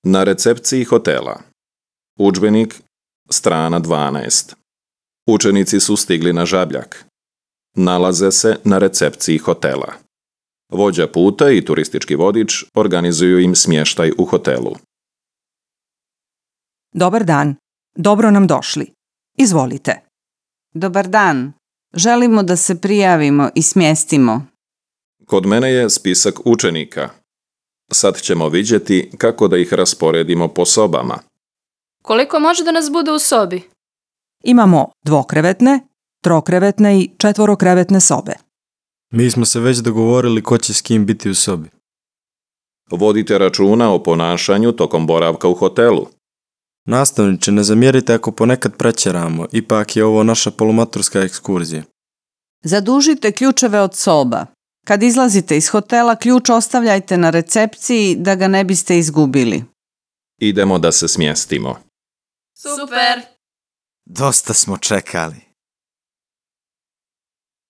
Na recepciji hotela. Udžbenik, strana 12. Učenici su stigli na Žabljak. Nalaze se na recepciji hotela. Vođa puta i turistički vodič organizuju im smještaj u hotelu. Dobar dan, dobro nam došli. Izvolite. Dobar dan. Želimo da se prijavimo i smjestimo. Kod mene je spisak učenika. Sad ćemo vidjeti kako da ih rasporedimo po sobama. Koliko može da nas bude u sobi? Imamo dvokrevetne, trokrevetne i četvorokrevetne sobe. Mi smo se već dogovorili ko će s kim biti u sobi. Vodite računa o ponašanju tokom boravka u hotelu. Nastavniče, ne zamjerite ako ponekad pretjeramo, ipak je ovo naša polumaturska ekskurzija. Zadužite ključeve od soba. Kad izlazite iz hotela, ključ ostavljajte na recepciji da ga ne biste izgubili. Idemo da se smjestimo. Super! Dosta smo čekali.